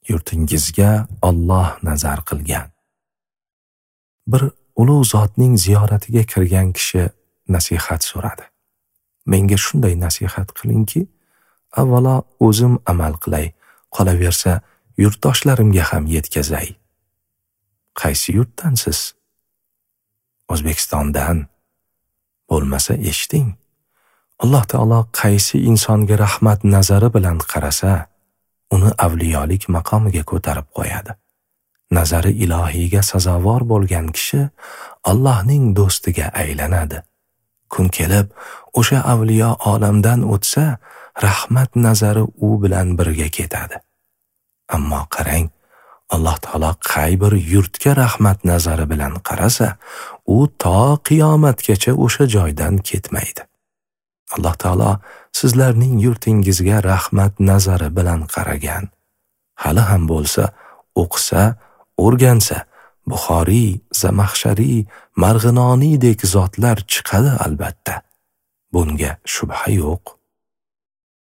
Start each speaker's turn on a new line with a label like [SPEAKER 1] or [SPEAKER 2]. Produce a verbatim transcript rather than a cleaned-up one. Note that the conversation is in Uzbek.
[SPEAKER 1] Yurtingizga Alloh nazar qilgan. Bir ulug' zotning ziyoratiga kirgan kishi nasihat so'radi. Menga shunday nasihat qilingki, avvalo o'zim amal qilay, qolaversa yurtdoshlarimga ham yetkazay. Qaysi yurtdansiz? O'zbekistondan. Bo'lmasa eshiting. Alloh taolo qaysi insonga rahmat nazari bilan qarasa, uni avliyolik maqomiga ko'tarib qo'yadi. Nazari ilohiyga sazovor bo'lgan kishi Allohning do'stiga aylanadi. Kun kelib o'sha avliyo olamdan o'tsa, rahmat nazari u bilan birga ketadi. Ammo qarang, Alloh taolo qay bir yurtga rahmat nazari bilan qarasa, u to qiyomatgacha o'sha joydan ketmaydi. Alloh taolo sizlarning yurtingizga rahmat nazari bilan qaragan. Hali ham bo'lsa, o'qisa, o'rgansa, Buxoriy, Zamaxshariy, Marg'inoniydek zotlar chiqadi albatta. Bunga shubha yo'q.